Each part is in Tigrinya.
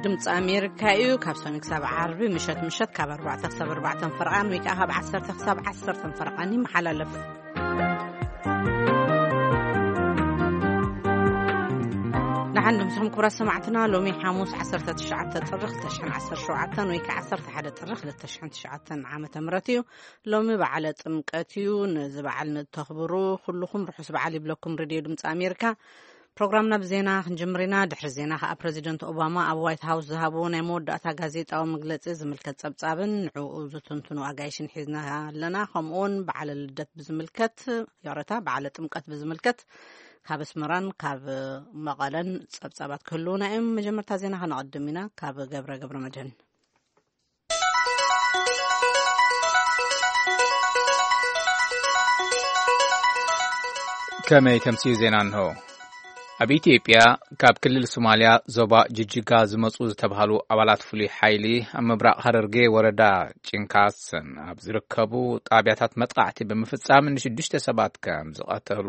ድምፂ ኣሜሪካ እዩ። ካብ ሰኑይ ክሳብ ዓርቢ ምሸት ምሸት ካብ ኣርባዕተ ክሳብ ኣርባዕተን ፈረቓን ወይ ከዓ ካብ ዓሰርተ ክሳብ ዓሰርተን ፈረቓን ይመሓላለፍ። ንሓን ድምፅኹም ክብራት ሰማዕትና፣ ሎሚ ሓሙስ ዓሰርተ ትሽዓተ ጥሪ ክልተ ሽሕን ዓሰርተ ሸውዓተን ወይ ከዓ ዓሰርተ ሓደ ጥሪ ክልተ ሽሕን ትሽዓተን ዓመተ ምህረት እዩ። ሎሚ በዓለ ጥምቀት እዩ። ነዚ በዓል ንተኽብሩ ኩልኹም ርሑስ በዓል ይብለኩም ሬድዮ ድምፂ ኣሜሪካ። ፕሮግራምና ብዜና ክንጅምር ኢና። ድሕሪ ዜና ከኣ ፕረዚደንት ኦባማ ኣብ ዋይት ሃውስ ዝሃብዎ ናይ መወዳእታ ጋዜጣዊ መግለጺ ዝምልከት ጸብጻብን ንዕኡ ዝትንትኑ ኣጋይሽን ሒዝና ኣለና። ከምኡውን በዓለ ልደት ብዝምልከት፣ ይቕረታ፣ በዓለ ጥምቀት ብዝምልከት ካብ ኣስመራን ካብ መቐለን ጸብጻባት ክህልውና እዮም። መጀመርታ ዜና ከነቐድም ኢና። ካብ ገብረ ገብረ መድህን። ከመይ ተምስዩ ዜና እንሆ። ኣብ ኢትዮጵያ ካብ ክልል ሶማልያ ዞባ ጅጅጋ ዝመጹ ዝተባህሉ ኣባላት ፍሉይ ሓይሊ ኣብ ምብራቕ ሃረርጌ ወረዳ ጭንካስን ኣብ ዝርከቡ ጣብያታት መጥቃዕቲ ብምፍጻም ንሽዱሽተ ሰባት ከም ዝቐተሉ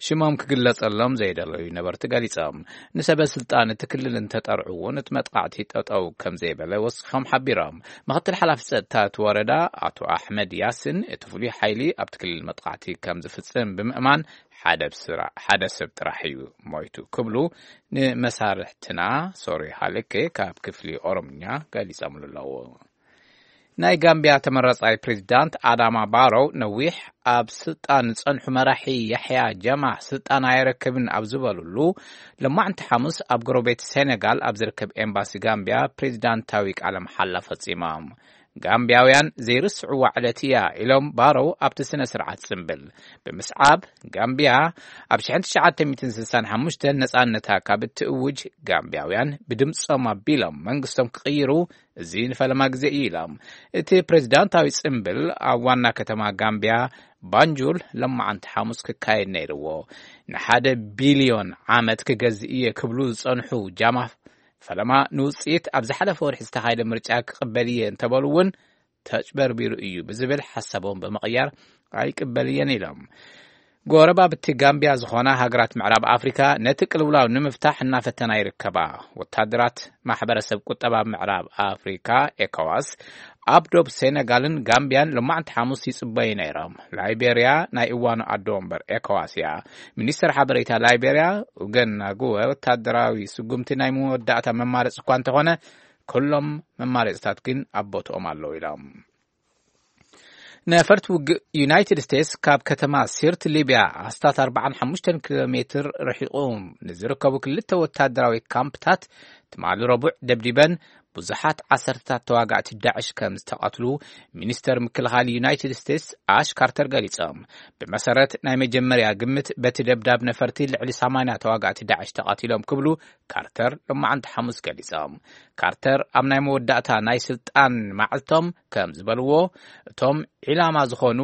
ሽሞም ክግለጸሎም ዘይደለዩ ነበርቲ ገሊጾም። ንሰበ ስልጣን እቲ ክልል እንተጠርዑ እውን እቲ መጥቃዕቲ ጠጠው ከም ዘይበለ ወሲኾም ሓቢሮም። ምክትል ሓላፊ ጸጥታ እቲ ወረዳ ኣቶ ኣሕመድ ያስን እቲ ፍሉይ ሓይሊ ኣብቲ ክልል መጥቃዕቲ ከም ዝፍጽም ብምእማን ሓደ ብስራ-፣ ሓደ ሰብ ጥራሕ እዩ ሞይቱ ክብሉ ንመሳርሕትና ሶሪ ሃለኬ ካብ ክፍሊ ኦሮምኛ ገሊጾምሉ ኣለዉ። ናይ ጋምቢያ ተመረጻይ ፕሬዚዳንት ኣዳማ ባሮው ነዊሕ ኣብ ስልጣን ዝጸንሑ መራሒ ያሕያ ጃማህ ስልጣን ኣይረክብን ኣብ ዝበሉሉ፣ ለማዕንቲ ሓሙስ ኣብ ጎረቤት ሴኔጋል ኣብ ዝርከብ ኤምባሲ ጋምቢያ ፕሬዚዳንታዊ ቃለ መሓላ ፈጺሞም። ጋምቢያውያን ዘይርስዕዋ ዕለት እያ ኢሎም ባሮው ኣብቲ ስነ ስርዓት ጽምብል ብምስዓብ፣ ጋምቢያ ኣብ ሽሕን ትሽዓተ ሚእትን ስሳን ሓሙሽተን ነጻነታ ካብ እትእውጅ፣ ጋምቢያውያን ብድምጾም ኣቢሎም መንግስቶም ክቕይሩ እዚ ንፈለማ ግዜ እዩ ኢሎም። እቲ ፕሬዚዳንታዊ ጽምብል ኣብ ዋና ከተማ ጋምቢያ ባንጁል ለማዓንቲ ሓሙስ ክካየድ ነይርዎ። ንሓደ ቢልዮን ዓመት ክገዝእ እየ ክብሉ ዝጸንሑ ጃማህ ፈለማ ንውጽኢት ኣብ ዝሓለፈ ወርሒ ዝተኻየደ ምርጫ ክቕበል እየ እንተበሉ እውን ተጭበርቢሩ እዩ ብዝብል ሓሳቦም ብምቕያር ኣይቅበል እየን ኢሎም። ጎረባብቲ ጋምቢያ ዝኾና ሃገራት ምዕራብ ኣፍሪካ ነቲ ቅልውላው ንምፍታሕ እናፈተና ይርከባ። ወታደራት ማሕበረሰብ ቁጠባ ምዕራብ ኣፍሪካ ኤኮዋስ ኣብ ዶብ ሴነጋልን ጋምቢያን ሎማዕንቲ ሓሙስ ይጽበዩ ነይሮም። ላይቤርያ ናይ እዋኑ ኣዶ ወንበር ኤኮዋስ እያ። ሚኒስተር ሓበሬታ ላይቤርያ ኡገን ናጉወ ወታደራዊ ስጉምቲ ናይ መወዳእታ መማረፂ እኳ እንተኾነ ኩሎም መማረፅታት ግን ኣብ ቦትኦም ኣለዉ ኢሎም። ነፈርቲ ውግእ ዩናይትድ ስቴትስ ካብ ከተማ ሲርት ሊብያ ኣስታት ኣርባዓን ሓሙሽተን ኪሎ ሜትር ርሒቑ ንዝርከቡ ክልተ ወታደራዊ ካምፕታት ትማሊ ረቡዕ ደብዲበን ብዙሓት ዓሰርተታት ተዋጋእቲ ዳዕሽ ከም ዝተቐትሉ ሚኒስተር ምክልኻል ዩናይትድ ስቴትስ ኣሽ ካርተር ገሊጾም። ብመሰረት ናይ መጀመርያ ግምት በቲ ደብዳብ ነፈርቲ ልዕሊ ሰማንያ ተዋጋእቲ ዳዕሽ ተቐቲሎም ክብሉ ካርተር ሎማዓንቲ ሓሙስ ገሊጾም። ካርተር ኣብ ናይ መወዳእታ ናይ ስልጣን መዓልቶም ከም ዝበልዎ፣ እቶም ዒላማ ዝኾኑ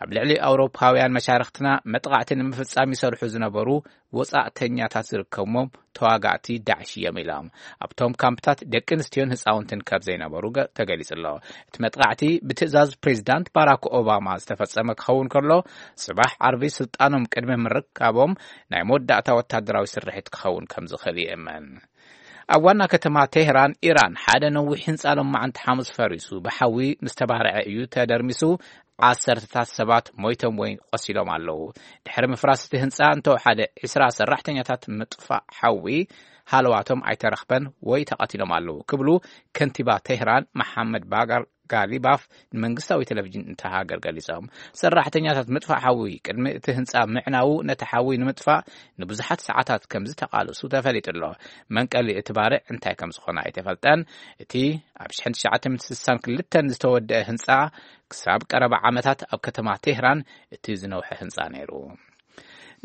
ኣብ ልዕሊ ኣውሮፓውያን መሻርኽትና መጥቓዕቲ ንምፍጻም ይሰርሑ ዝነበሩ ወጻእተኛታት ዝርከብዎም ተዋጋእቲ ዳዕሽ እዮም ኢሎም። ኣብቶም ካምፕታት ደቂ ኣንስትዮን ህፃውንትን ካብ ዘይነበሩ ገ-፣ ተገሊጹ ኣሎ። እቲ መጥቓዕቲ ብትእዛዝ ፕሬዚዳንት ባራክ ኦባማ ዝተፈጸመ ክኸውን ከሎ፣ ጽባሕ ዓርቢ ስልጣኖም ቅድሚ ምርካቦም ናይ መወዳእታ ወታደራዊ ስርሒት ክኸውን ከም ዝኽእል ይእመን። ኣብ ዋና ከተማ ቴህራን ኢራን ሓደ ነዊሕ ህንጻ ሎማዓንቲ ሓሙስ ፈሪሱ ብሓዊ ምስ ተባርዐ እዩ ተደርሚሱ ዓሰርተታት ሰባት ሞይቶም ወይ ቆሲሎም ኣለዉ። ድሕሪ ምፍራስ እቲ ህንጻ እንተወሓደ ዕስራ ሰራሕተኛታት ምጥፋእ ሓዊ ሃለዋቶም ኣይተረኽበን ወይ ተቐቲሎም ኣለዉ ክብሉ ከንቲባ ቴህራን መሓመድ ባጋር ጋሊባፍ ንመንግስታዊ ቴሌቪዥን እታ ሃገር ገሊጾም። ሰራሕተኛታት ምጥፋእ ሓዊ ቅድሚ እቲ ህንጻ ምዕናዉ ነቲ ሓዊ ንምጥፋእ ንብዙሓት ሰዓታት ከም ዝተቓለሱ ተፈሊጡ ኣሎ። መንቀሊ እቲ ባርዕ እንታይ ከም ዝኾነ ኣይተፈልጠን። እቲ ኣብ ሽሕን ትሽዓተ ሚእትን ስሳን ክልተን ዝተወደአ ህንጻ ክሳብ ቀረባ ዓመታት ኣብ ከተማ ቴህራን እቲ ዝነውሐ ህንጻ ነይሩ።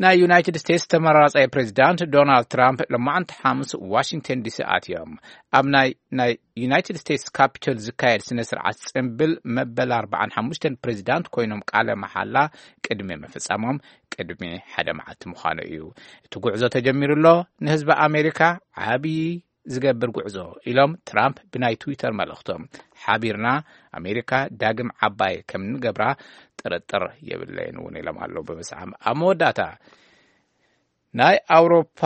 ናይ ዩናይትድ ስቴትስ ተመራጻይ ፕሬዚዳንት ዶናልድ ትራምፕ ሎማዓንቲ ሓሙስ ዋሽንግተን ዲሲ ኣትዮም። ኣብ ናይ፣ ናይ ዩናይትድ ስቴትስ ካፒቶል ዝካየድ ስነ ስርዓት ጽምብል መበል ኣርባዓን ሓሙሽተን ፕሬዚዳንት ኮይኖም ቃለ መሓላ ቅድሚ ምፍጻሞም ቅድሚ ሓደ መዓልቲ ምዃኑ እዩ። እቲ ጉዕዞ ተጀሚሩ ኣሎ፣ ንህዝቢ ኣሜሪካ ዓብዪ ዝገብር ጉዕዞ ኢሎም ትራምፕ ብናይ ትዊተር መልእኽቶም። ሓቢርና ኣሜሪካ ዳግም ዓባይ ከም ንገብራ ጥርጥር የብለይን እውን ኢሎም ኣለዉ። ብብዝሓ ኣብ መወዳእታ ናይ ኣውሮፓ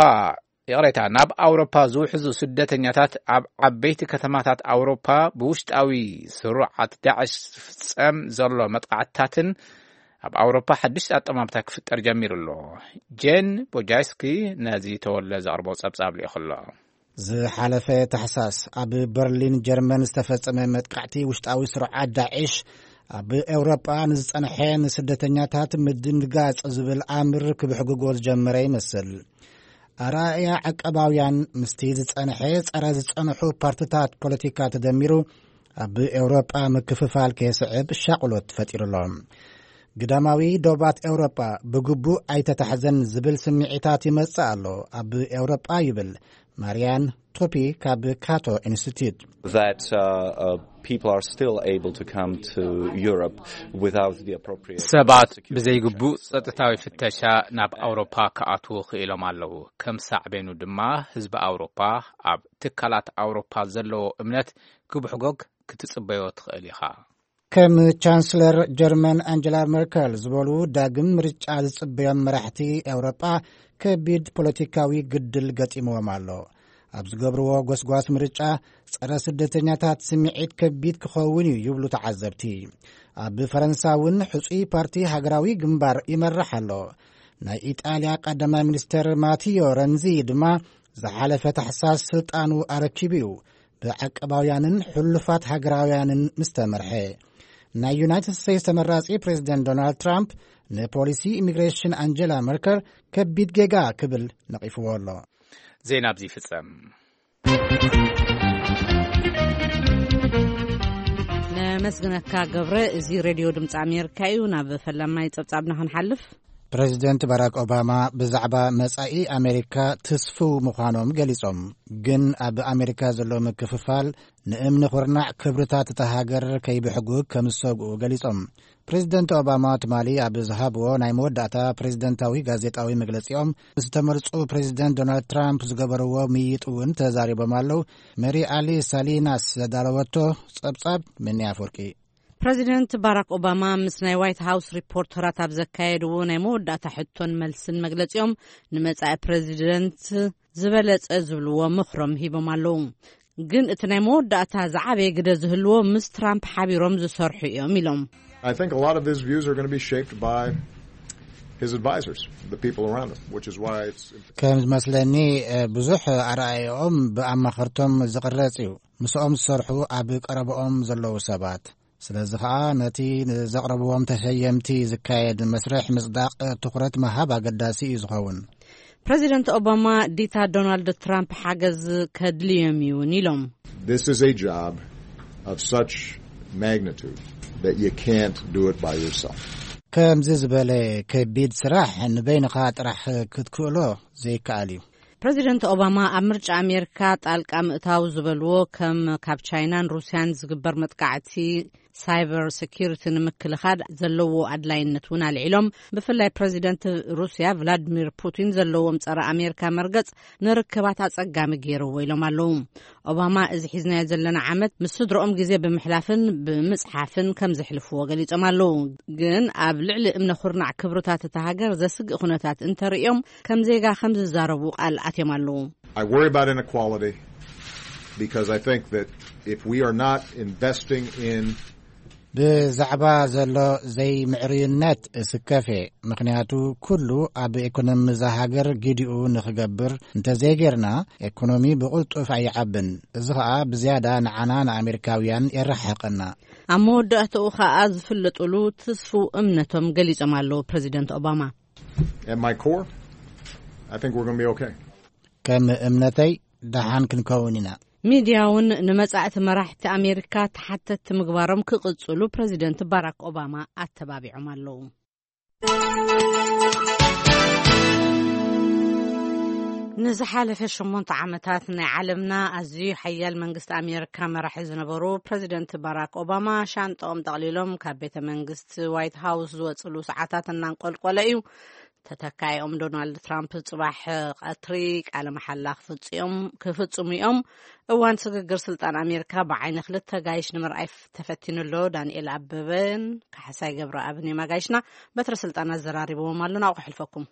ይቕሬታ፣ ናብ ኣውሮፓ ዝውሕዙ ስደተኛታት ኣብ ዓበይቲ ከተማታት ኣውሮፓ ብውሽጣዊ ስሩዓት ዳዕሽ ዝፍጸም ዘሎ መጥቃዕትታትን ኣብ ኣውሮፓ ሓድሽ ኣጠማምታ ክፍጠር ጀሚሩ ኣሎ። ጄን ቦጃስኪ ነዚ ተወለ ዘቕርቦ ጸብጻብ ልኢኹ ኣሎ። ዝሓለፈ ታሕሳስ ኣብ በርሊን ጀርመን ዝተፈጸመ መጥቃዕቲ ውሽጣዊ ስሩዓት ዳዕሽ ኣብ ኤውሮጳ ንዝጸንሐ ንስደተኛታት ምድንጋጽ ዝብል ኣምር ክብሕግጎ ዝጀመረ ይመስል። ኣራእያ ዓቀባውያን ምስቲ ዝጸንሐ ጸረ ዝጸንሑ ፓርትታት ፖለቲካ ተደሚሩ ኣብ ኤውሮጳ ምክፍፋል ከየስዕብ ሻቕሎት ፈጢሩ ኣሎ። ግዳማዊ ዶባት ኤውሮጳ ብግቡእ ኣይተታሕዘን ዝብል ስምዒታት ይመጽእ ኣሎ ኣብ ኤውሮጳ ይብል ማርያን ቶፒ ካብ ካቶ ኢንስቲትዩት። That uh, uh, people are still able to come to Europe without the appropriate ሰባት security ብዘይግቡእ checks. ጸጥታዊ ፍተሻ ናብ ኣውሮፓ ክኣትዉ ክኢሎም ኣለዉ። ከም ሳዕቤኑ ድማ ህዝቢ ኣውሮፓ ኣብ ትካላት ኣውሮፓ ዘለዎ እምነት ክብሕጎግ ክትጽበዮ ትኽእል ኢኻ። ከም ቻንስለር ጀርመን ኣንጀላ መርከል ዝበሉ ዳግም ምርጫ ዝጽበዮም መራሕቲ ኤውሮጳ ከቢድ ፖለቲካዊ ግድል ገጢምዎም ኣሎ። ኣብ ዝገብርዎ ጎስጓስ ምርጫ ጸረ ስደተኛታት ስምዒት ከቢድ ክኸውን እዩ ይብሉ ተዓዘብቲ። ኣብ ፈረንሳ እውን ሕጹይ ፓርቲ ሃገራዊ ግንባር ይመርሕ ኣሎ። ናይ ኢጣልያ ቀዳማይ ሚኒስተር ማቲዮ ረንዚ ድማ ዝሓለፈ ታሕሳስ ስልጣኑ ኣረኪቡ እዩ። ብዓቀባውያንን ሕሉፋት ሃገራውያንን ምስ ተመርሐ። ናይ ዩናይትድ ስቴትስ ተመራጺ ፕሬዚደንት ዶናልድ ትራምፕ ንፖሊሲ ኢሚግሬሽን ኣንጀላ መርከል ከቢድ ጌጋ ክብል ነቒፍዎ ኣሎ። ዜና ኣብዚ ይፍጸም። ነመስግነካ ገብረ። እዚ ሬድዮ ድምፂ ኣሜሪካ እዩ። ናብ ፈላማይ ጸብጻብና ክንሓልፍ። ፕሬዚደንት ባራክ ኦባማ ብዛዕባ መጻኢ ኣሜሪካ ትስፉው ምዃኖም ገሊጾም። ግን ኣብ ኣሜሪካ ዘሎ ምክፍፋል ንእምኒ ኩርናዕ ክብርታት እታ ሃገር ከይብሕጉ ከም ዝሰግኡ ገሊጾም። ፕሬዚደንት ኦባማ ትማሊ ኣብ ዝሃብዎ ናይ መወዳእታ ፕሬዚደንታዊ ጋዜጣዊ መግለጺኦም፣ ምስ ተመርጹ ፕሬዚደንት ዶናልድ ትራምፕ ዝገበርዎ ምይይጥ እውን ተዛሪቦም ኣለዉ። መሪ ኣሊ ሳሊናስ ዘዳለወቶ ጸብጻብ ምኒ ኣፈወርቂ። ፕሬዚደንት ባራክ ኦባማ ምስ ናይ ዋይት ሃውስ ሪፖርተራት ኣብ ዘካየድዎ ናይ መወዳእታ ሕቶን መልስን መግለጺኦም፣ ንመጻኢ ፕሬዚደንት ዝበለጸ ዝብልዎ ምኽሮም ሂቦም ኣለዉ። ግን እቲ ናይ መወዳእታ ዝዓበየ ግደ ዝህልዎ ምስ ትራምፕ ሓቢሮም ዝሰርሑ እዮም ኢሎም። I think a lot of his views are going to be shaped by his advisors, the people around him, which is why it's ከም ዝመስለኒ፣ እ፣ ብዙሕ ኣረኣእያኦም ብኣማኸርቶም ዝቕረጽ እዩ። ምስኦም ዝሰርሑ ኣብ ቀረብኦም ዘለዉ ሰባት። ስለዚ ኸኣ ነቲ ንዘቕረብዎም ተሸየምቲ ዝካየድ መስርሕ ምጽዳቕ ትኹረት ምሃብ ኣገዳሲ እዩ ዝኸውን። ፕሬዚደንት ኦባማ ዲታ ዶናልድ ትራምፕ ሓገዝ ከድልዮም እዩ እውን ኢሎም። This is a job of such magnitude that you can't do it by yourself. ከምዚ ዝበለ ከቢድ ስራሕ ንበይንኻ ጥራሕ ክትክእሎ ዘይከኣል እዩ። ፕሬዚደንት ኦባማ ኣብ ምርጫ ኣሜሪካ ጣልቃ ምእታው ዝበልዎ ከም ካብ ቻይናን ሩስያን ዝግበር መጥቃዕቲ ሳይበር ሴኪሪቲ ንምክልኻል ዘለዎ ኣድላይነት እውን ኣልዒሎም። ብፍላይ ፕሬዚደንት ሩስያ ቭላድሚር ፑቲን ዘለዎም ጸረ ኣሜሪካ መርገጽ ንርክባት ኣጸጋሚ ገይርዎ ኢሎም ኣለዉ። ኦባማ እዚ ሒዝናዮ ዘለና ዓመት ምስ ስድረኦም ግዜ ብምሕላፍን ብምጽሓፍን ከም ዘሕልፍዎ ገሊጾም ኣለዉ። ግን ኣብ ልዕሊ እምነ ኩርናዕ ክብርታት እታ ሃገር ዘስግእ ኩነታት እንተርእዮም ከም ዜጋ ከም ዝዛረቡ ቃል ኣትዮም ኣለዉ። I worry about inequality because I think that if we are not investing in ብዛዕባ ዘሎ ዘይምዕርዩነት እስከፍ እየ። ምኽንያቱ ኩሉ ኣብ ኢኮኖሚ እዛ ሃገር ግዲኡ ንኽገብር እንተዘይጌርና፣ ኢኮኖሚ ብቕልጡፍ ኣይዓብን። እዚ ኸኣ ብዝያዳ ንዓና ንኣሜሪካውያን የረሓሕቐና። ኣብ መወዳእታኡ ኸኣ ዝፍለጡሉ ትስፉው እምነቶም ገሊጾም ኣለዉ ፕሬዚደንት ኦባማ። At my core, I think we're going to be okay. ከም እምነተይ ደሓን ክንከውን ኢና። ሚድያ እውን ንመጻእቲ መራሕቲ ኣሜሪካ ተሓተትቲ ምግባሮም ክቕጽሉ ፕሬዚደንት ባራክ ኦባማ ኣተባቢዖም ኣለዉ። ንዝሓለፈ ሸሞንተ ዓመታት ናይ ዓለምና ኣዝዩ ሓያል መንግስቲ ኣሜሪካ መራሒ ዝነበሩ ፕሬዚደንት ባራክ ኦባማ ሻንጣኦም ጠቕሊሎም ካብ ቤተ መንግስቲ ዋይት ሃውስ ዝወጽሉ ሰዓታት እናንቆልቆለ እዩ። ተተካኢኦም ዶናልድ ትራምፕ ጽባሕ ቀትሪ ቃለ መሓላ ክፍጽዮም-፣ ክፍጽሙ እዮም። እዋን ስግግር ስልጣን ኣሜሪካ ብዓይኒ ክልተ ጋይሽ ንምርኣይ ፍ-፣ ተፈቲኑ ኣሎ። ዳንኤል ኣበበን ካሕሳይ ገብረኣብን እዮም ኣጋይሽና። በትረ ስልጣን ኣዘራሪብዎም ኣሎ። ናብኡ ክሕልፈኩም።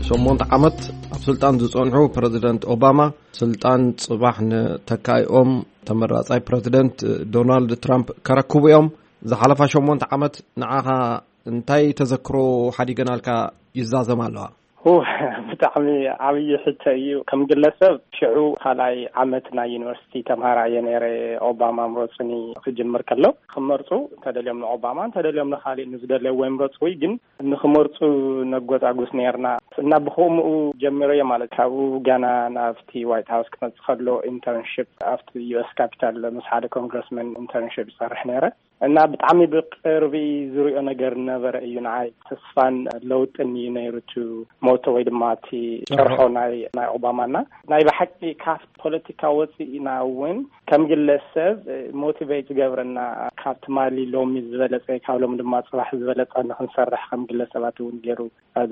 ሸሞንተ ዓመት ኣብ ስልጣን ዝጸንሑ ፕረዚደንት ኦባማ፣ ስልጣን ጽባሕ ንተካኢኦም ተመራጻይ ፕረዚደንት ዶናልድ ትራምፕ ከረክቡ እዮም። ዝሓለፋ ሸሞንተ ዓመት ንዓኻ እንታይ ተዘክሮ ሓዲገናልካ ይዛዘም ኣለዋ? ሁ፣ ብጣዕሚ ዓብዪ ሕቶ እዩ። ከም ግለሰብ፣ ሽዑ ካልኣይ ዓመት ናይ ዩኒቨርሲቲ ተምሃራይ እየ ነይረ። ኦባማ ምረጹኒ ክጅምር ከሎ፣ ክመርጹ እንተደልዮም ንኦባማ፣ እንተደልዮም ንኻሊእ ንዝደለይዎ ይምረጹ። ወይ ግን ንኽመርጹ ነጎጻጉስ ነይርና። እና ብኸምኡ ጀሚረዮ ማለት፣ ካብኡ ገና ናብቲ ዋይት ሃውስ ክመጽእ ከሎ ኢንተርንሺፕ ኣብቲ ዩ ኤስ ካፒታል ምስ ሓደ ኮንግረስመን ኢንተርንሺፕ ይሰርሕ ነይረ። እና ብጣዕሚ ብቅርቢ ዝሪኦ ነገር ነበረ እዩ። ንዓይ ተስፋን ለውጥን እዩ ነይሩ እቲ ሞቶ ወይ ድማ እቲ ጭርሖ። ጭርሖ ናይ፣ ናይ ኦባማና። ናይ ብሓቂ ካብ ፖለቲካ ወፂእና እውን ከም ግለሰብ ሞቲቬት ዝገብረና፣ ካብ ትማሊ ሎሚ ዝበለፀ፣ ካብ ሎሚ ድማ ፅባሕ ዝበለፀ ንክንሰርሕ ከም ግለሰባት እውን ገይሩ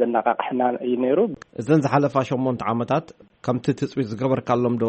ዘነቃቅሕና እዩ ነይሩ። እዘን ዝሓለፋ ሸሞንተ ዓመታት ከምቲ ትፅቢት ዝገበርካሎም ዶ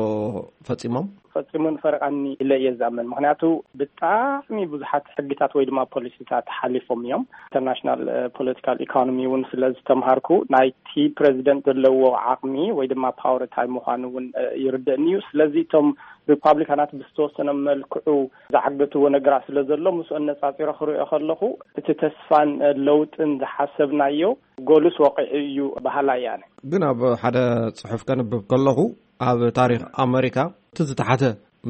ፈፂሞም? ፈፂሙ ንፈረቃኒ ኢለ እየ ዝኣምን። ምክንያቱ ብጣዕሚ ብዙሓት ሕግታት ወይ ድማ ፖሊሲታት ሓሊፎም እዮም። ኢንተርናሽናል ፖለቲካል ኢኮኖሚ እውን ስለ ዝተምሃርኩ፣ ናይቲ ፕረዚደንት ዘለዎ ዓቕሚ ወይ ድማ ፓወር እንታይ ምዃኑ እውን ይርደእኒ እዩ። ስለዚ እቶም ሪፓብሊካናት ብዝተወሰነ መልክዑ ዝዓገትዎ ነገራት ስለ ዘሎ፣ ምስኡ ኣነጻጺረ ክሪኦ ከለኹ፣ እቲ ተስፋን ለውጥን ዝሓሰብናዮ ጎልስ ወቂዑ እዩ በሃላይ እየ ኣነ። ግን ኣብ ሓደ ጽሑፍ ከንብብ ከለኹ፣ ኣብ ታሪኽ ኣመሪካ እቲ ዝተሓተ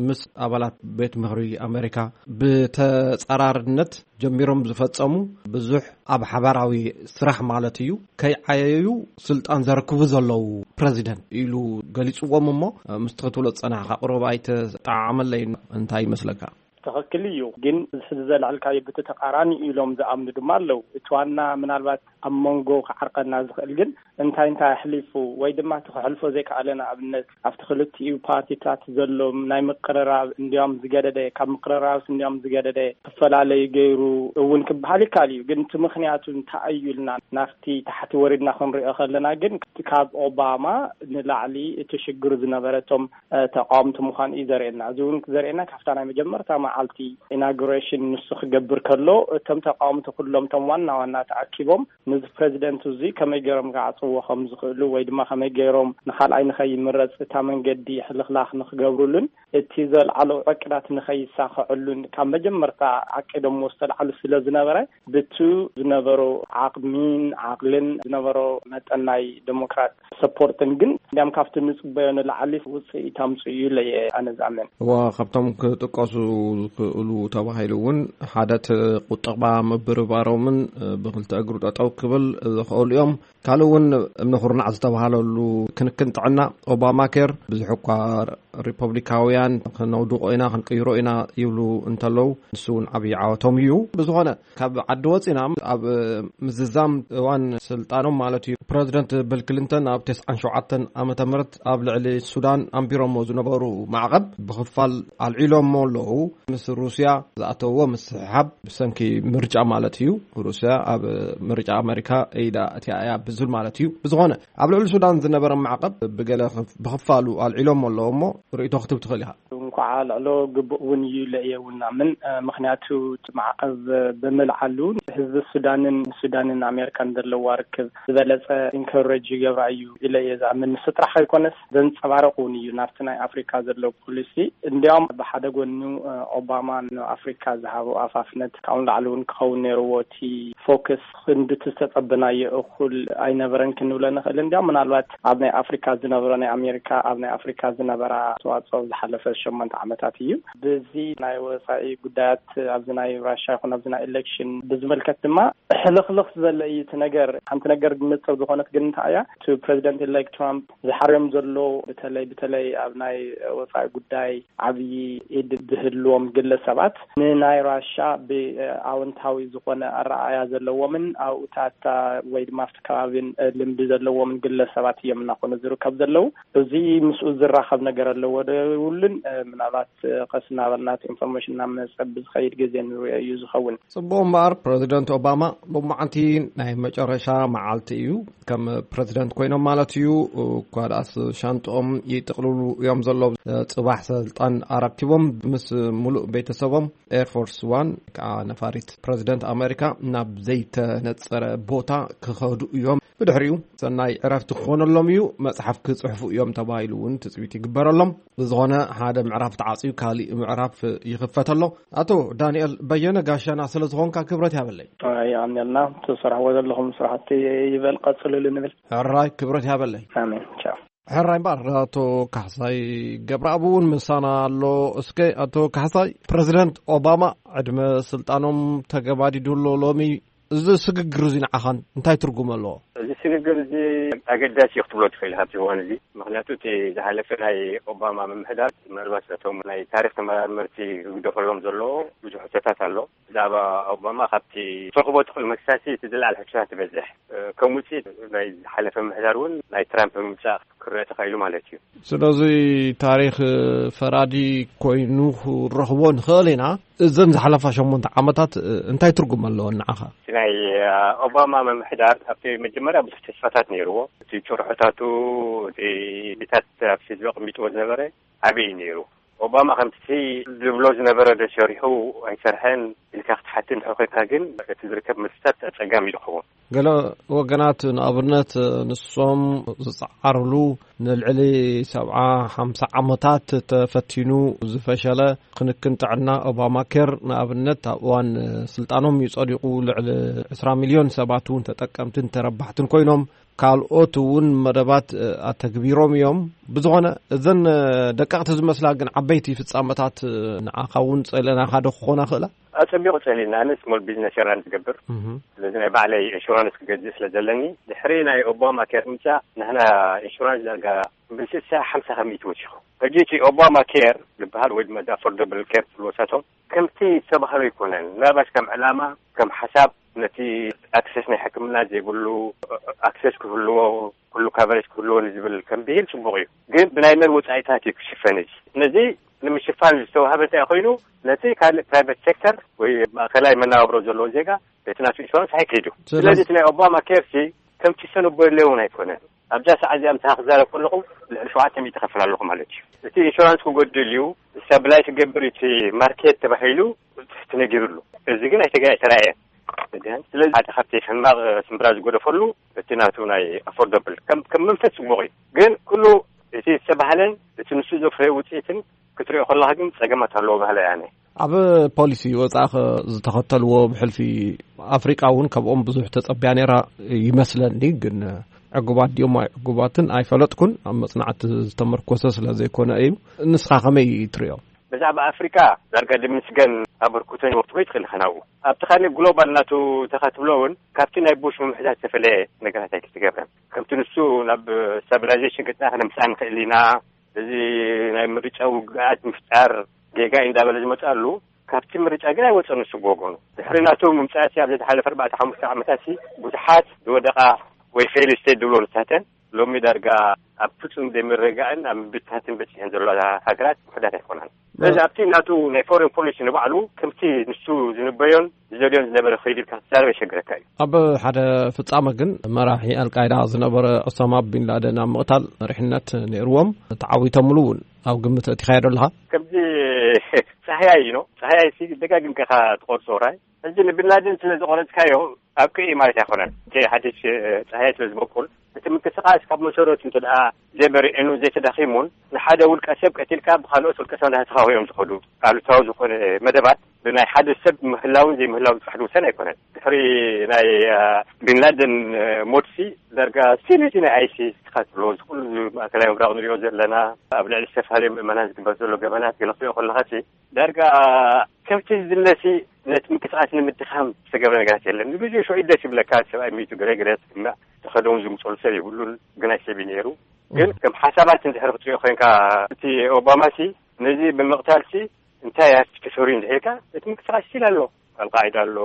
ምስ ኣባላት ቤት ምኽሪ ኣመሪካ ብተጻራርነት ጀሚሮም ዝፈጸሙ፣ ብዙሕ ኣብ ሓባራዊ ስራሕ ማለት እዩ፣ ከይዓየዩ ስልጣን ዘረክቡ ዘለዉ ፕረዚደንት ኢሉ ገሊጽዎም። እሞ ምስቲ ክትብሎ ዝጸናሕካ ቁሩብ ኣይተጠዓዓመለይን። እንታይ ይመስለካ? ትኽክል እዩ፣ ግን እዚ ሕዚ ዘልዓልካዮ ብቲ ተቃራኒ ኢሎም ዝኣምኑ ድማ ኣለዉ። እቲ ዋና ምናልባት ኣብ መንጎ ክዓርቀና ዝኽእል ግን እንታይ እንታይ ኣሕሊፉ ወይ ድማ እቲ ክሕልፎ ዘይከኣለ፣ ንኣብነት ኣብቲ ክልቲኡ ፓርቲታት ዘሎ ናይ ምቅርራብ እንዲያውም ዝገደደ፣ ካብ ምቅርራብስ እንዲያውም ዝገደደ ክፈላለዩ ገይሩ እውን ክበሃል ይከኣል እዩ። ግን እቲ ምኽንያቱ እንታይ እዩ ኢልና ናብቲ ታሕቲ ወሪድና ክንሪኦ ከለና ግን፣ ካብ ኦባማ ንላዕሊ እቲ ሽግር ዝነበረ እቶም እ፣ ተቃወምቲ ምዃኑ እዩ ዘርእየና። እዚ እውን ዘርእየና ካብታ ናይ መጀመርታ መዓልቲ ኢናጉሬሽን ንሱ ክገብር ከሎ፣ እቶም ተቃወምቲ ኩሎም እቶም ዋና ዋና ተኣኪቦም ነዚ ፕረዚደንት እዚ ከመይ ገይሮም ክዓጽዎ ከም ዝኽእሉ ወይ ድማ ከመይ ገይሮም ንኻልኣይ ንኸይምረጽ እታ መንገዲ ሕልኽላኽ ንክገብሩሉን እቲ ዘልዓሎ ዕቅዳት ንኸይሳኽዕሉን ካብ መጀመርታ ዓቂዶምዎ ዝተልዓሉ ስለ ዝነበረ፣ ብቱ ዝነበሮ ዓቕሚን ዓቕልን ዝነበሮ መጠን ናይ ዴሞክራት ሰፖርትን ግን እንዲያም ካብቲ ንጽበዮ ንላዕሊ ውጽኢት ኣምጽኡ እዩ ኢለ እየ ኣነ ዝኣምን። እዋ፣ ካብቶም ክጥቀሱ ዝኽእሉ ተባሂሉ እውን ሓደ እቲ ቁጠባ ምብርባሮምን ብክልተ እግሩ ጠጠው ክብል ዝኽእሉ እዮም። ካልእ እውን እምነ ኩርናዕ ዝተባሃለሉ ክንክን ጥዕና ኦባማ ኬር ብዙሕ እኳ ሪፐብሊካውያን ክነውድቆ ኢና ክንቅይሮ ኢና ይብሉ እንተለዉ፣ ንሱ እውን ዓብዪ ዓወቶም እዩ። ብዝኾነ ካብ ዓዲ ወፂና ኣብ ምዝዛም እዋን ስልጣኖም ማለት እዩ፣ ፕረዚደንት ቢል ክሊንተን ኣብ ተስዓን ሸውዓተን ዓመተ ምህረት ኣብ ልዕሊ ሱዳን ኣንቢሮሞ ዝነበሩ ማዕቐብ ብኽፋል ኣልዒሎሞ ኣለዉ። ምስ ሩስያ ዝኣተውዎ ምስሕሓብ ብሰንኪ ምርጫ ማለት እዩ፣ ሩስያ ኣብ ምርጫ ኣመሪካ ኢዳ እቲኣ እያ ብዝብል ማለት እዩ። ብዝኾነ ኣብ ልዕሊ ሱዳን ዝነበረ ማዕቐብ ብገለ ክፍ-፣ ብኽፋሉ ኣልዒሎሞ ኣለዉ። እሞ ርእይቶ ክትብ ትኽእል ኢኻ። እንኳዓ ልዕሎ ግቡእ እውን እዩ ኢለ እየ እውን ኣምን። እ፣ ምኽንያቱ እቲ ማዕቐብ ብምልዓሉ ህዝቢ ሱዳንን ሱዳንን ኣሜሪካን ዘለዋ ርክብ ዝበለጸ ኢንከረጅ ይገብራ እዩ ኢለ እየ ዝኣምን። ንሱ ጥራሕ ኣይኮነስ ዘንጸባርቕ እውን እዩ ናብቲ ናይ ኣፍሪካ ዘሎ ፖሊሲ። እንዲያውም ብሓደ ጎኑ፣ እ፣ ኦባማ ንኣፍሪካ ዝሃቦ ኣፋፍነት ካብኡ ንላዕሊ እውን ክኸውን ነይርዎ። እቲ ፎከስ ክንዲ እቲ ዝተጸበናዮ እኹል ኣይነበረን ክንብሎ ንኽእል። እንዲያውም ምናልባት ኣብ ናይ ኣፍሪካ ዝነብሮ ናይ ኣሜሪካ ኣብ ናይ ኣፍሪካ ዝነበራ ኣስተዋጽኦ ዝሓለፈ ሸሞንተ ዓመታት እዩ። በዚ ናይ ወጻኢ ጉዳያት ኣብዚ ናይ ራሻ ይኹን ኣብዚ ናይ ኤሌክሽን ብዝምልከት ድማ ሕልኽልኽ ዝበለ እዩ እቲ ነገር። ሓንቲ ነገር ንጽር ዝኾነት ግን እንታይ እያ? እቲ ፕረዚደንት ኢሌክት ትራምፕ ዝሓርዮም ዘሎ በተለይ፣ በተለይ ኣብ ናይ ወጻኢ ጉዳይ ዓብዪ ኢድ ዝህልዎም ግለሰባት ንናይ ራሻ ብኣወንታዊ ዝኾነ ኣረኣእያ ዘለዎምን ኣብኡታታ ወይ ድማ ኣብቲ ከባቢን ልምዲ ዘለዎምን ግለሰባት እዮም እናኾኑ ዝርከብ ዘለዉ። እዚ ምስኡ ዝራኸብ ነገር ኣለዎ ዶ የብሉን? ምናልባት ቀስ እናበልና እቲ ኢንፎርሜሽን እናመጸ ብዝኸይድ ግዜ ንሪኦ እዩ ዝኸውን። ጽቡቕ እምበኣር፣ ፕረዚደንት ኦባማ ሎማዓንቲ ናይ መጨረሻ መዓልቲ እዩ። ከም ፕረዚደንት ኮይኖም ማለት እዩ። እኳ ደኣስ ሻንጥኦም ይጥቕልሉ እዮም ዘለዉ። ጽባሕ ስልጣን ኣረኪቦም ምስ ሙሉእ ቤተሰቦም ኤርፎርስ ዋን፣ ከዓ ነፋሪት ፕረዚደንት ኣሜሪካ፣ ናብ ዘይተነጸረ ቦታ ክኸዱ እዮም። ብድሕሪኡ ሰናይ ዕረፍቲ ክኾነሎም እዩ፣ መጽሓፍ ክጽሕፉ እዮም ተባሂሉ እውን ትጽቢት ይግበረሎም። ብዝኾነ ሓደ ምዕራፍ ተዓጽዩ ካሊእ ምዕራፍ ይኽፈት ኣሎ። ኣቶ ዳንኤል በየነ ጋሻና ስለ ዝኾንካ ክብረት ያበለይ። የቐንየልና። ትሰርሕዎ ዘለኹም ስራሕቲ ይበል ቀጽልሉ ንብል። ሕራይ ክብረት ያበለይ። ኣሜን። ቻው። ሕራይ እምበኣር ኣቶ ካሕሳይ ገብረኣብ እውን ምሳና ኣሎ። እስከ ኣቶ ካሕሳይ፣ ፕረዚደንት ኦባማ ዕድመ ስልጣኖም ተገባዲዱ ኣሎ ሎሚ። እዚ ስግግር እዚ ንዓኻን እንታይ ትርጉም ኣለዎ? እዚ ስግግር እዚ ኣገዳሲ እዩ ክትብሎ ትኽእል ካብቲ እዋን እዚ። ምኽንያቱ እቲ ዝሓለፈ ናይ ኦባማ ምምሕዳር ምናልባት ነቶም ናይ ታሪኽ ተመራመርቲ ክግደፈሎም ዘለዎ ብዙሕ ሕቶታት ኣሎ። ብዛዕባ ኦባማ ካብቲ ትረኽቦ ትኽእል መክሳሲ እቲ ዝለዓለ ሕቶታት ትበዝሕ። ከም ውፅኢት ናይ ዝሓለፈ ምምሕዳር እውን ናይ ትራምፕ ምምፃእ ክረአ ተኻኢሉ ማለት እዩ። ስለዚ ታሪኽ ፈራዲ ኮይኑ ክረኽቦ ንኽእል ኢና። እዘን ዝሓለፋ ሸሞንተ ዓመታት እንታይ ትርጉም ኣለዎ ንዓኻ? እቲ ናይ ኦባማ ምምሕዳር ኣብቲ መጀመርያ ብዙሕ ተስፋታት ነይርዎ። እቲ ጭርሖታቱ፣ እቲ ታት ኣብ ህዝቢ ኣቐሚጥዎ ዝነበረ ዓብዪ እዩ ነይሩ። ኦባማ ከምቲ ዝብሎ ዝነበረ ዶ ሰሪሑ ኣይሰርሐን ኢልካ ክትሓትን እንድሕር ኮይንካ ግን እቲ ዝርከብ መልስታት ኣጸጋሚ እዩ ዝኸውን። ገለ ወገናት ንኣብነት ንሶም ዝጸዓርሉ ንልዕሊ ሰብዓ ሓምሳ ዓመታት ተፈቲኑ ዝፈሸለ ክንክን ጥዕና ኦባማ ኬር ንኣብነት ኣብ እዋን ስልጣኖም እዩ ጸዲቑ። ልዕሊ ዕስራ ሚልዮን ሰባት እውን ተጠቀምትን ተረባሕትን ኮይኖም ካልኦት እውን መደባት ኣተግቢሮም እዮም። ብዝኾነ እዘን ደቀቕቲ ዝመስላ ግን ዓበይቲ ፍጻመታት ንዓኻ እውን ጸለናኻ ዶ ክኾና ክእላ? ኣጸቢቑ ጸሊና፣ ኣነ ስሞል ቢዝነስ የራን ዝገብር። ስለዚ ናይ ባዕለይ ኢንሹራንስ ክገዝእ ስለ ዘለኒ ድሕሪ ናይ ኦባማ ኬር ምምጻእ ንሕና ኢንሹራንስ ዳርጋ ብስሳ ሓምሳ ከሚእቲ ወሲኹ። ሕጂ እቲ ኦባማ ኬር ዝበሃል ወይ ድማ ኣፎርደብል ኬር ትብልዎ ሳቶም ከምቲ ዝተባህሎ ኣይኮነን። ምናልባሽ ከም ዕላማ ከም ሓሳብ ነቲ ኣክሰስ ናይ ሕክምና ዘይብሉ ኣክሰስ ክህልዎ ኩሉ ካቨሬጅ ክህልዎ ንዝብል ከም ብሂል ጽቡቕ እዩ። ግን ብናይ መን ወጻኢታት እዩ ክሽፈን እዚ? ነዚ ንምሽፋን ዝተዋህበ እንታይ ኮይኑ ነቲ ካልእ ፕራይቬት ሴክተር ወይ ማእከላይ መናባብሮ ዘለዎ ዜጋ እቲ ናቱ ኢንሹራንስ ኣይከይዱ። ስለዚ እቲ ናይ ኦባማ ኬር ሲ ከምቲ ሰነቦ የለ እውን ኣይኮነን። ኣብዛ ሰዓት እዚኣ ምሳኻ ክዛረብ ከለኹ ልዕሊ ሸውዓተ ሚእቲ ከፍል ኣለኹ ማለት እዩ። እቲ ኢንሹራንስ ክጎድል እዩ፣ ስታብላይዝ ክገብር እቲ ማርኬት ተባሂሉ ተነጊሩሉ። እዚ ግን ኣይተገ ኣይተራእየን። ስለዚ ሓደ ካብቲ ሕማቕ ስምብራ ዝጎደፈሉ እቲ ናቱ ናይ ኣፎርደብል ከም ከም መንፈስ ጽቡቕ እዩ። ግን ኩሉ እቲ ዝተባህለን እቲ ንሱ ዘፍረዮ ውጽኢትን ክትሪኦ ከለኻ ግን ጸገማት ኣለዎ ባህለ ያነ። ኣብ ፖሊሲ ወጻእኸ ዝተኸተልዎ ብሕልፊ ኣፍሪቃ እውን ካብኦም ብዙሕ ተጸብያ ነይራ ይመስለኒ። ግን ዕጉባት ድዮም ኣይዕጉባትን ኣይፈለጥኩን። ኣብ መጽናዕቲ ዝተመርኮሰ ስለ ዘይኮነ እዩ። ንስኻ ከመይ ትሪኦ? ብዛዕባ ኣፍሪቃ ዳርጋ ድምስገን ኣበርክቶ ይወፍሮ ይትኽእል ኢኻ ናብኡ። ኣብቲ ካልእ ግሎባል ናቱ ተኻትብሎ እውን ካብቲ ናይ ቡሽ ምምሕዳር ዝተፈለየ ነገራት ኣይክትገብረን። ከምቲ ንሱ ናብ ስታቢላይዜሽን ክጥና ክነምስኣ ንኽእል ኢና። እዚ ናይ ምርጫ ውግኣት ምፍጣር ጌጋ እዩ እንዳበለ ዝመፅኣሉ ካብቲ ምርጫ ግን ኣይወፀን። ንሱ ብወገኑ ድሕሪ ናቱ ምምፃእሲ ኣብ ዝሓለፈ ኣርባዕተ ሓሙሽተ ዓመታትሲ ብዙሓት ዝወደቓ ወይ ፌል ስቴት ዝብሎ ንሳተን ሎሚ ዳርጋ ኣብ ፍጹም ዘይምርግጋእን ኣብ ምብትታትን በጺሐን ዘለዋ ሃገራት ውሑዳት ኣይኮናን። ስለዚ ኣብቲ ናቱ ናይ ፎሬን ፖሊሲ ንባዕሉ ከምቲ ንሱ ዝንበዮን ዝደልዮን ዝነበረ ከይዱ ኢልካ ክትዛረብ የሸግረካ እዩ። ኣብ ሓደ ፍጻመ ግን መራሒ ኣልቃይዳ ዝነበረ ኦሳማ ቢንላደን ኣብ ምቕታል መሪሕነት ነይርዎም። ተዓዊቶምሉ እውን ኣብ ግምት ኣእቲኻዮ ዶ ኣለኻ? ከምዚ ጻህያይ እዩ ነው። ጻህያይ ሲ ደጋጊምካ ኢኻ ትቖርጾ ራይ። ሕጂ ንቢንላደን ስለ ዝቖረጽካዮ ኣብቅኢ ማለት ኣይኮነን። እቲ ሓድሽ ጻህያይ ስለ ዝበቁል እቲ ምንቅስቃስ ካብ መሰረቱ እንተ ደኣ ዘይበሪዕኑ ዘይተዳኺሙን ንሓደ ውልቀ ሰብ ቀቲልካ ብካልኦት ውልቀ ሰብ እንዳተኻወዮም ዝኸዱ ኣሉታዊ ዝኾነ መደባት ብናይ ሓደ ሰብ ምህላውን ዘይምህላውን ጥራሕ ዝውሰን ኣይኮነን። ድሕሪ ናይ ቢንላደን ሞትሲ ዳርጋ ስቲል እቲ ናይ ኣይሲስ ትኻትሎ እዚ ኩሉ ማእከላይ ምብራቕ ንሪኦ ዘለና ኣብ ልዕሊ ዝተፈላለዩ ምእመናን ዝግበር ዘሎ ገበናት ገለ ክትሪኦ ከለኻሲ ዳርጋ ከምቲ ዝድለሲ ነቲ ምንቅስቃስ ንምድኻም ዝተገብረ ነገራት የለን። ንግዜኡ ሽዑ ደስ ይብለካ፣ ሰብኣይ ሚቱ ገለ ገለ ትስምዕ፣ ተኸደውን ዝምፀሉ ሰብ የብሉን፣ ግናይ ሰብ እዩ ነይሩ። ግን ከም ሓሳባት እንድሕር ክትሪኦ ኮይንካ እቲ ኦባማ ሲ ነዚ ብምቕታል ሲ እንታይ ኣፍቲ ተሰሪዩ እንድሕርካ እቲ ምንቅስቃስ ስቲል ኣሎ። ኣልቃዒዳ ኣሎ፣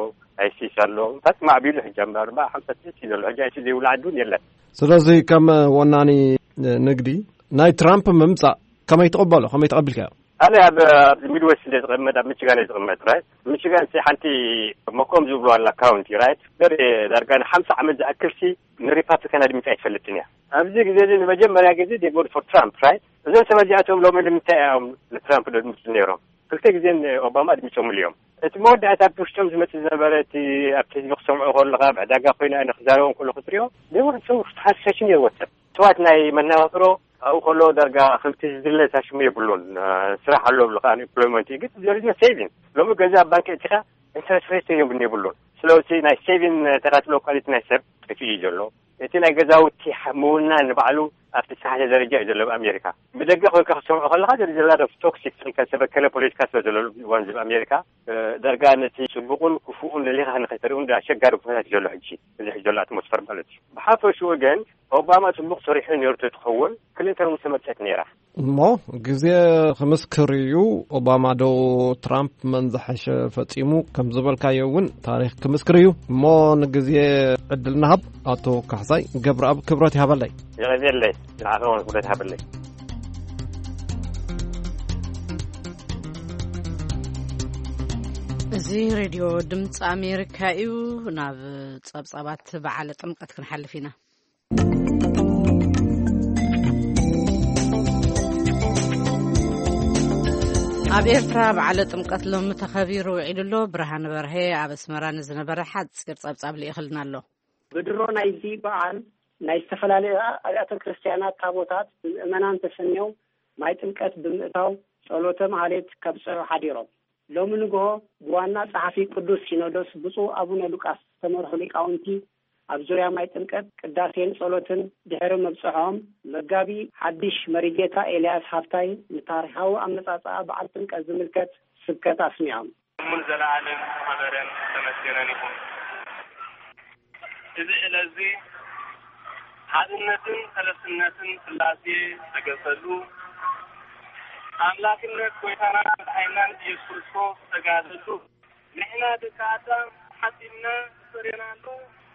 ኣይሲስ ኣሎ፣ እንታይ ማዕቢሉ ሕጂ ኣብ ኣርባ ሓምሳ ስቴት እዩ ዘሎ። ሕጂ ኣይሲ ዘይብሉ ዓዲ እውን የለን። ስለዚ ከም ወናኒ ንግዲ ናይ ትራምፕ ምምፃእ ከመይ ትቕበሎ? ከመይ ተቐቢልካዮ? ኣነ ኣብ ኣብዚ ሚድዌስት እንደ ዝቕመጥ ኣብ ሚችጋን እየ ዝቕመጥ ራይት። ሚችጋን ሲ ሓንቲ መኮም ዝብሉ ኣላ ካውንቲ ራይት። ዘር ዳርጋ ንሓምሳ ዓመት ዝኣክል ሲ ንሪፓብሊካን ኣድሚፃ ኣይትፈልጥን እያ። ኣብዚ ግዜ እዚ ንመጀመርያ ግዜ they vote for Trump right። እዞም ሰባት እዚኣቶም ሎሚ ንምንታይ እዮም ንትራምፕ ደድምፁ ነይሮም? ክልተ ግዜ ኦባማ ኣድሚፆምሉ እዮም። እቲ መወዳእታ ብውሽጦም ዝመፅእ ዝነበረ፣ እቲ ኣብቲ ህዝቢ ክሰምዖ ከለካ፣ ብዕዳጋ ኮይነ ኣነ ክዛረቦም ከሎ ክትሪኦ፣ they were so fascinating ነይርዎ። ሰብ እትዋት ናይ መነባብሮ ኣብኡ ከሎ ዳርጋ ከምቲ ዝድለ እታ ሽሙ የብሉን። ስራሕ ኣሎ ብልካ፣ unemployment እዩ፣ ግን there is no saving። ሎሚ ገዛ ኣብ ባንክ እቲካ ኢንተረስት ሬት እዮም የብሉን። ስለዚ ናይ ሴቪን ተካትሎ ኳሊቲ ናይ ሰብ ጠፊኡ እዩ ዘሎ። እቲ ናይ ገዛውቲ ምውና ንባዕሉ ኣብቲ ዝተሓተ ደረጃ እዩ ዘሎ ኣብ ኣሜሪካ። ብደገ ኮይንካ ክትሰምዖ ከለካ ዘላ ቶክሲክ፣ ዝተበከለ ፖለቲካ ስለ ዘሎ እዋን እዚ ኣብ ኣሜሪካ፣ ዳርጋ ነቲ ጽቡቕን ክፉእን ለሊኻ ንኸይተርእዩ እንዳ ኣሸጋሪ ኩነታት እዩ ዘሎ ሕጂ፣ እዚ ሕጂ ዘሎ ኣትሞስፈር ማለት እዩ። ብሓፈሽኡ ግን ኦባማ ጽቡቕ ሰሪሑ ነይሩ ተትኸውን፣ ክሊንተን እውን ተመርጸት ነይራ። እሞ ግዜ ክምስክር እዩ። ኦባማ ዶ ትራምፕ መን ዝሓሸ ፈጺሙ ከም ዝበልካዮ እውን ታሪኽ ክምስክር እዩ። እሞ ንግዜ ዕድል ንሃብ። ኣቶ ካሕሳይ ገብረኣብ ክብረት ይሃበለይ። የቐዜለይ። ንዓኸ እውን ክብረት ይሃበለይ። እዚ ሬድዮ ድምፂ ኣሜሪካ እዩ። ናብ ጸብጻባት በዓለ ጥምቀት ክንሓልፍ ኢና። ኣብ ኤርትራ በዓለ ጥምቀት ሎሚ ተኸቢሩ ውዒሉ ኣሎ። ብርሃን በርሀ ኣብ ኣስመራ ንዝነበረ ሓጺር ጸብጻብ ልኢኽልና ኣሎ። ብድሮ ናይዚ በዓል ናይ ዝተፈላለዩ ኣብያተ ክርስቲያናት ታቦታት ብምእመናን ተሰንዮም ማይ ጥምቀት ብምእታው ጸሎተ ማህሌት ከብጽሑ ሓዲሮም። ሎሚ ንግሆ ብዋና ጸሓፊ ቅዱስ ሲኖዶስ ብፁዕ ኣቡነ ሉቃስ ዝተመርሑ ሊቃውንቲ ኣብ ዙርያ ማይ ጥምቀት ቅዳሴን ጸሎትን ድሕሪ ምብጽሖም፣ መጋቢ ሓድሽ መሪጌታ ኤልያስ ሃብታይ ንታሪኻዊ ኣመጻጽኣ በዓል ጥምቀት ዝምልከት ስብከት ኣስሚዖም። እሙን ዘለዓለም ዝኸበረን ዝተመስገነን ይኹን። እዚ ዕለት እዚ ሓድነትን ሰለስትነትን ስላሴ ዝተገልጸሉ፣ ኣምላክነት ጎይታና መድሓኒናን ኢየሱስ ክርስቶስ ዝተጋደሉ፣ ንሕና ደቂ ኣዳም ሓጢእና ፈሪናሉ፣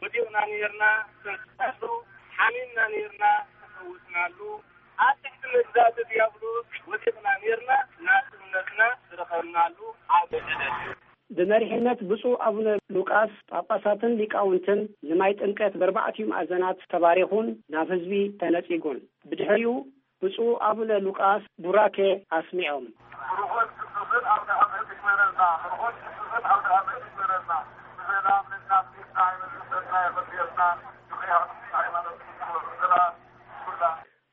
ወዲቕና ነይርና ተንስኣሉ፣ ሓሚምና ነይርና ተፈውስናሉ፣ ኣብ ትሕቲ መግዛእቲ ዲያብሎስ ወዲቕና ነይርና ናጽነትና ዝረኸብናሉ ዓቢ ዕለት እዩ። ብመሪሕነት ብፁዕ ኣቡነ ሉቃስ ጳጳሳትን ሊቃውንትን ንማይ ጥምቀት በርባዕቲኡ ማእዘናት ተባሪኹን ናብ ህዝቢ ተነጺጉን። ብድሕሪኡ ብፁዕ ኣቡነ ሉቃስ ቡራኬ ኣስሚዖም። ብሩኽን ቅዱስን ኣውደ ዓመት ይግበረልና። ብሩኽን ቅዱስን ኣውደ ዓመት ይግበረልና። ብሰላም ንናፍቅና ይመልሰና፣ የቐድየልና። ብኽያት ሃይማኖት ይግበረልና።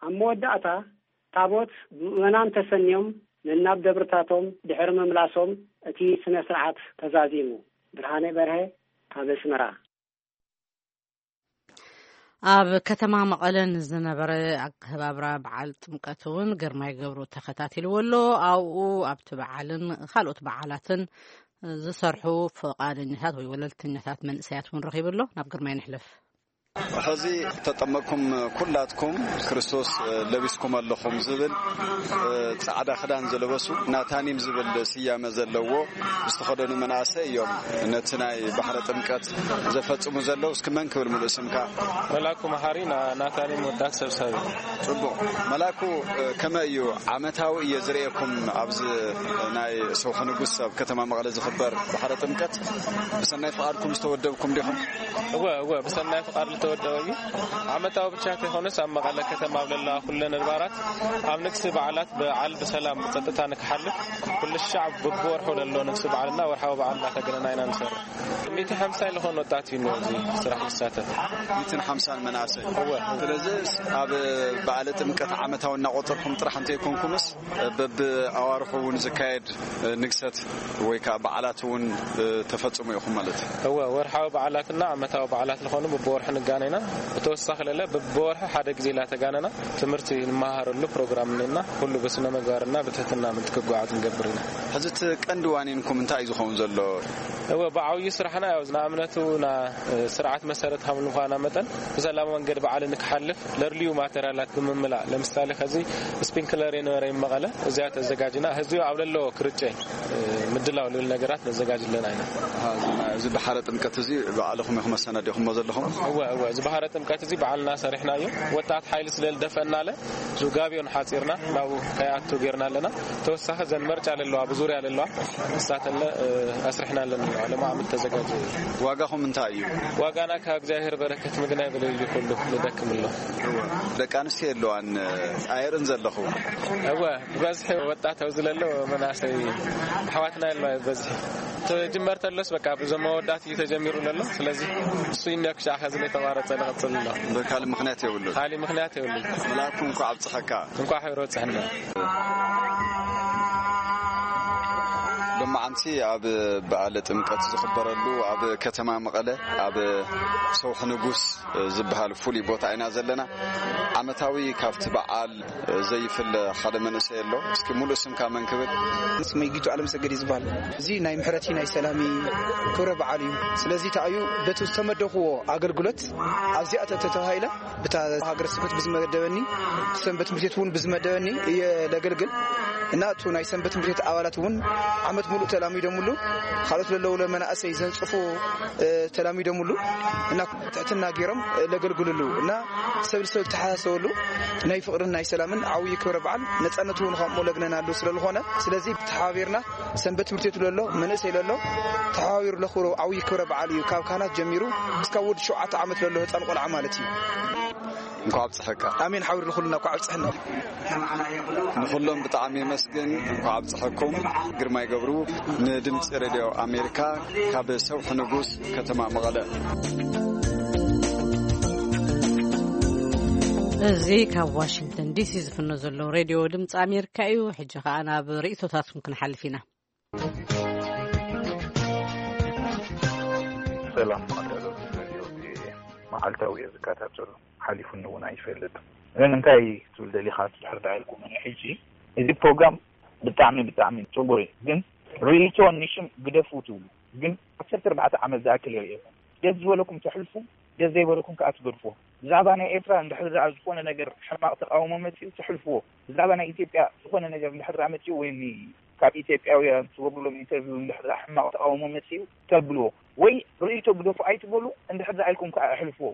ኣብ መወዳእታ ታቦት ብምእመናን ተሰንዮም ነናብ ደብርታቶም ድሕሪ ምምላሶም እቲ ስነ ስርዓት ተዛዚሙ። ብርሃነ በርሀ ካብ ኣስመራ። ኣብ ከተማ መቐለ ንዝነበረ ኣከባብራ በዓል ጥምቀት እውን ግርማይ ገብሩ ተኸታቲልዎ ኣሎ። ኣብኡ ኣብቲ በዓልን ካልኦት በዓላትን ዝሰርሑ ፈቓደኛታት ወይ ወለልተኛታት መንእሰያት እውን ረኺቡ ኣሎ። ናብ ግርማይ ንሕለፍ። ሕዚ ተጠመቅኩም ኩላትኩም ክርስቶስ ለቢስኩም ኣለኹም ዝብል ጻዕዳ ክዳን ዝለበሱ ናታኒም ዝብል ስያመ ዘለዎ ዝተኸደኑ መናእሰይ እዮም ነቲ ናይ ባሕረ ጥምቀት ዘፈጽሙ ዘለዉ። እስኪ መን ክብል ሙሉእ ስምካ? መላኩ መሓሪ፣ ና-፣ ናታኒም ወዳት ሰብሳቢ። ጽቡቕ። መላኩ፣ ከመይ እዩ? ዓመታዊ እየ ዝርእየኩም ኣብዚ ናይ ሰውሒ ንጉስ ኣብ ከተማ መቐለ ዝኽበር ባሕረ ጥምቀት። ብሰናይ ፍቓድኩም ዝተወደብኩም ዲኹም? እወ፣ እወ፣ ብሰናይ ፍቓድ ዝተወደበ እዩ። ዓመታዊ ብቻ ከይኮነስ ኣብ መቐለ ከተማ ኣብ ዘለዋ ኩለን ኣድባራት ኣብ ንግሲ በዓላት በዓል ብሰላም ብጸጥታ ንክሓልፍ ኩሉ ሻዕ ብብወርሑ ዘሎ ንግሲ በዓልና ወርሓዊ በዓል እናተገነና ኢና ንሰርሕ። ሚእቲ ሓምሳ ዝኾኑ ወጣት እዩ ኣብዚ ስራሕ ዝሳተፍ። ሚእትን ሓምሳን መናእሰይ። እወ። ስለዚ ኣብ በዓለ ጥምቀት ዓመታዊ እናቆጸርኩም ጥራሕ እንተይኮንኩምስ በብኣዋርሑ እውን ዝካየድ ንግሰት ወይ ከዓ በዓላት እውን ተፈጽሙ ኢኹም ማለት እዩ? እወ፣ ወርሓዊ በዓላትና ዓመታዊ በዓላት ዝኾኑ በብወርሑ ንጋነና። ብተወሳኺ ለለ በብወርሑ ሓደ ግዜ ላተጋነና ትምህርቲ ንመሃረሉ ፕሮግራም እኒና፣ ኩሉ ብስነ ምግባርና ብትህትና ምእንቲ ክጓዓዝ ንገብር ኢና። ሕዚ እቲ ቀንዲ ዋኒንኩም እንታይ እዩ ዝኸውን ዘሎ? እወ፣ ብዓብዩ ስራሕና ያው ንኣብነቱ ና ስርዓት መሰረት ካብ ምዃና መጠን ብሰላማዊ መንገዲ በዓል ንክሓልፍ ለድልዩ ማቴሪያላት ብምምላእ፣ ለምሳሌ ከዚ ስፒንክለር የነበረ መቐለ፣ እዚኣ ተዘጋጅና ህዝቢ ኣብ ለለዎ ክርጨ ምድላው ልብል ነገራት ነዘጋጅ ኣለና ኢና። ኣሃ፣ እዚ ባሕረ ጥምቀት እዚ ባዕልኹም ኢኹም ኣሰናዲኹሞ ዘለኹም? እወ፣ እወ። እዚ ባህረ ጥምቀት እዚ ባዕልና ሰሪሕናዮ። ወጣት ሓይሊ ስለ ዝደፈእናለ፣ እዚ ጋብዮን ሓጺርና ናብኡ ከይኣቱ ጌርና ኣለና። ተወሳኺ ዘን መርጫ ዘለዋ፣ ብዙርያ ዘለዋ፣ ንሳተለ፣ እ፣ ኣስሪሕና ኣለና። ሎማዓመት ተዘጋጀ። ዋጋኹም እንታይ እዩ? ዋጋና ካብ እግዚኣብሔር በረከት ምግናይ ብለዩ ኩሉ ንደክም ኣሎ። ደቂ ኣንስትዮ የለዋን፣ ኣየርእን ዘለኹ። እወ፣ ብበዝሒ ወጣት ኣብዚ ለሎ መናእሰይ ኣሕዋትና የለዋ በዝሒ። ተጀመር ተሎስ በቃ ብዞም መወዳት እዩ ተጀሚሩ ዘሎ። ስለዚ እሱ ይነ ክሻ ከዚ ላይ ተቋረጸ ንቐጽል ኣሎ። በካል ምኽንያት የብሉ። ካሊ ምኽንያት የብሉ። መልኣኩም እንኳዕ ኣብጽሐካ። እንኳዕ ሕብረ ወጽሐና። ሎማዓንቲ ኣብ በዓለ ጥምቀት ዝኽበረሉ ኣብ ከተማ መቐለ ኣብ ሰውሒ ንጉስ ዝበሃል ፍሉይ ቦታ ኢና ዘለና። ዓመታዊ ካብቲ በዓል ዘይፍለ ሓደ መንእሰይ ኣሎ። እስኪ ሙሉእ ስምካ መን ክብል? ስመይ ጊቱ ኣለምሰገድ እዩ ዝበሃል። እዚ ናይ ምሕረቲ ናይ ሰላሚ ክብረ በዓል እዩ። ስለዚ ተኣዩ በቲ ዝተመደኽዎ ኣገልግሎት ኣብዚኣ ተተባሂለ ብታ ሃገረ ስብከት ብዝመደበኒ፣ ሰንበት ትምህርት ቤት እውን ብዝመደበኒ እየ ለገልግል። እና እቱ ናይ ሰንበት ትምህርት ቤት ኣባላት እውን ዓመት ሙሉእ ተላሚዶምሉ፣ ካልኦት ለለዉ ለመናእሰይ ዘንጽፉ፣ እ፣ ተላሚዶምሉ እና ትሕትና ገይሮም፣ እ፣ ለገልግልሉ እና ሰብ ልሰብ ዝተሓሳሰበሉ ናይ ፍቕርን ናይ ሰላምን ዓብዪ ክብረ በዓል፣ ነጻነት እውን ከምኡ ለግነናሉ ስለ ዝኾነ፣ ስለዚ ተሓባቢርና ሰንበት ትምህርት ቤት ለሎ መንእሰይ ለሎ ተሓባቢሩ ለኽብሮ ዓብዪ ክብረ በዓል እዩ። ካብ ካህናት ጀሚሩ እስካብ ወዲ ሸውዓተ ዓመት ለሎ ህፃን ቆልዓ ማለት እዩ። እንኳዕ ኣብፀሐካ። ኣሜን። ሓውር ንኹልና እንኳዕ ኣብፀሐና። ንኹሎም ብጣዕሚ የመስግን። እንኳዕ ኣብፀሐኩም። ግርማይ ገብሩ ንድምፂ ሬድዮ ኣሜሪካ ካብ ሰውሒ ንጉስ ከተማ መቐለ። እዚ ካብ ዋሽንግተን ዲሲ ዝፍኖ ዘሎ ሬድዮ ድምፂ ኣሜሪካ እዩ። ሕጂ ኸዓ ናብ ርእይቶታትኩም ክንሓልፍ ኢና። ሰላም ማዕከሎ ሬድዮ ቪኦኤ። መዓልታዊ እየ ዝከታተሎ፣ ሓሊፉኒ እውን ኣይፈልጥ። ግን እንታይ ትብል ደሊኻ እንድሕር ደኣ ኢልኩም፣ ሕጂ እዚ ፕሮግራም ብጣዕሚ ብጣዕሚ ጽቡቅ እዩ፣ ግን ርእይቶ ንሽም ግደፉ ትብሉ፣ ግን ዓሰርተ ኣርባዕተ ዓመት ዝኣክል የርእየኩም። ደስ ዝበለኩም ተሕልፉ፣ ደስ ዘይበለኩም ከኣ ትገድፍዎ። ብዛዕባ ናይ ኤርትራ እንድሕር ደኣ ዝኾነ ነገር ሕማቕ ተቃውሞ መጺኡ ተሕልፍዎ። ብዛዕባ ናይ ኢትዮጵያ ዝኾነ ነገር እንድሕር ደኣ መጺኡ ወይ ን-፣ ካብ ኢትዮጵያውያን ትገብሩሎም ኢንተርቪው እንድሕር ደኣ ሕማቕ ተቃውሞ መጺኡ ተብልዎ። ወይ ርእይቶ ግደፉ ኣይትበሉ፣ እንድሕር ደኣ ኢልኩም ከኣ ኣሕልፍዎ።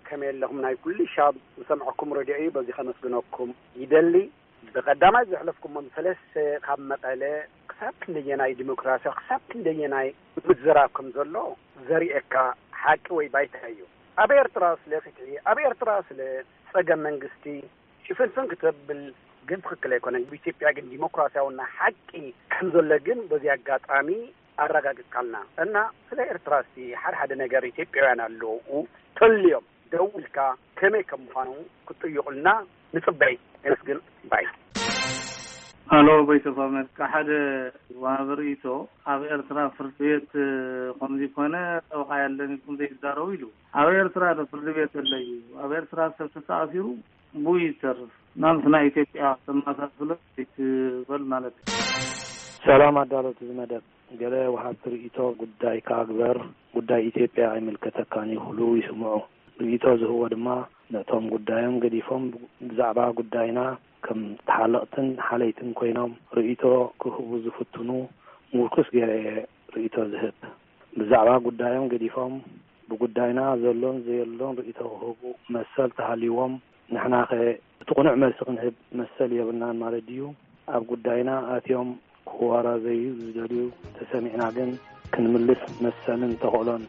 ከመይ ኣለኹም? ናይ ኩሉ ሻብ ዝሰምዐኩም ረድዮ እዩ። በዚ ከመስግነኩም ይደሊ። ብቐዳማይ ዘሕለፍኩሞም ሰለስተ ካብ መቐለ ክሳብ ክንደየናይ ዲሞክራሲያዊ፣ ክሳብ ክንደየናይ ምዝራብ ከም ዘሎ ዘርእየካ ሓቂ ወይ ባይታ እዩ። ኣብ ኤርትራ ስለ ፍትሒ፣ ኣብ ኤርትራ ስለ ጸገም መንግስቲ ሽፍንፍን ክተብል ግን ትኽክል ኣይኮነን። ኣብ ኢትዮጵያ ግን ዲሞክራሲያውና ሓቂ ከም ዘሎ ግን በዚ ኣጋጣሚ ኣረጋግጽካልና። እና ስለ ኤርትራ እስቲ ሓደ ሓደ ነገር ኢትዮጵያውያን ኣለዉ ተልዮም ደው ኢልካ ከመይ ከም ምዃኑ ክትጥይቑልና ንጽበይ። የመስግን ባይ። ሃሎ፣ ቮይስ ኦፍ ኣሜሪካ፣ ሓደ ወሃቢ ርእይቶ፣ ኣብ ኤርትራ ፍርዲ ቤት ከምዚ ኮነ፣ ጠበቃ የለን ኢልኩም ዘይትዛረቡ ኢሉ። ኣብ ኤርትራ ዶ ፍርዲ ቤት ኣሎ እዩ? ኣብ ኤርትራ ሰብ ተተኣሲሩ ብኡ ይተርፍ። ናምስ ናይ ኢትዮጵያ ተመሳስሎ ይትበል ማለት እዩ። ሰላም ኣዳለውቲ እዚ መደብ። ገለ ወሃብቲ ርእይቶ ጉዳይካ ግበር፣ ጉዳይ ኢትዮጵያ ኣይምልከተካን እዩ ክብሉ ይስምዑ። ርእይቶ ዝህብዎ ድማ ነቶም ጉዳዮም ገዲፎም ብዛዕባ ጉዳይና ከም ተሓለቕትን ሓለይትን ኮይኖም ርእይቶ ክህቡ ዝፍትኑ ምርኩስ ገይረ እየ ርእይቶ ዝህብ። ብዛዕባ ጉዳዮም ገዲፎም ብጉዳይና ዘሎን ዘየሎን ርእይቶ ክህቡ መሰል ተሃልይዎም፣ ንሕናኸ እቲ ቅኑዕ መልሲ ክንህብ መሰል የብልናን ማለት ድዩ? ኣብ ጉዳይና ኣትዮም ክዋራዘዩ ዝደልዩ ተሰሚዕና ግን ክንምልስ መሰልን ተኽእሎን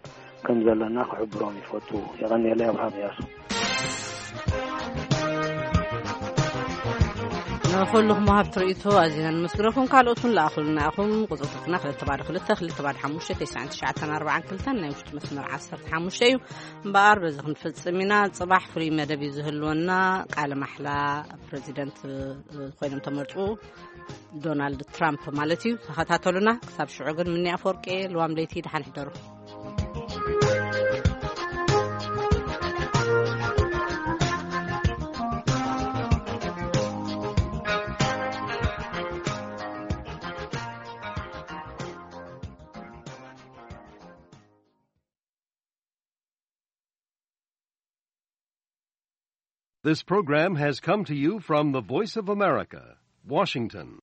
ከም ዘለና ክሕብሮም ይፈቱ። የቐንየለይ፣ ኣብርሃም እያሱ። ንኹልኹም ወሃብቲ ርእይቶ ኣዚና ነመስግነኩም። ካልኦት እውን ለኣኹልና ኢኹም። ቁጽርታትና ክልተ ባዶ ክልተ፣ ክልተ ባዶ ሓሙሽተ፣ ተስዓን ትሽዓተን ኣርባዓን ክልተን ናይ ውሽጢ መስመር ዓሰርተ ሓሙሽተ እዩ። እምበኣር በዚ ክንፍጽም ኢና። ጽባሕ ፍሉይ መደብ እዩ ዝህልወና። ቃለ ማሕላ ፕረዚደንት፣ እ፣ ኮይኖም ተመርጹ ዶናልድ ትራምፕ ማለት እዩ። ተኸታተሉና። ክሳብ ሽዑ ግን ምኒ ኣፈወርቂ፣ ልዋም ለይቲ፣ ደሓን ሕደሩ። This program has come to you from the Voice of America, Washington.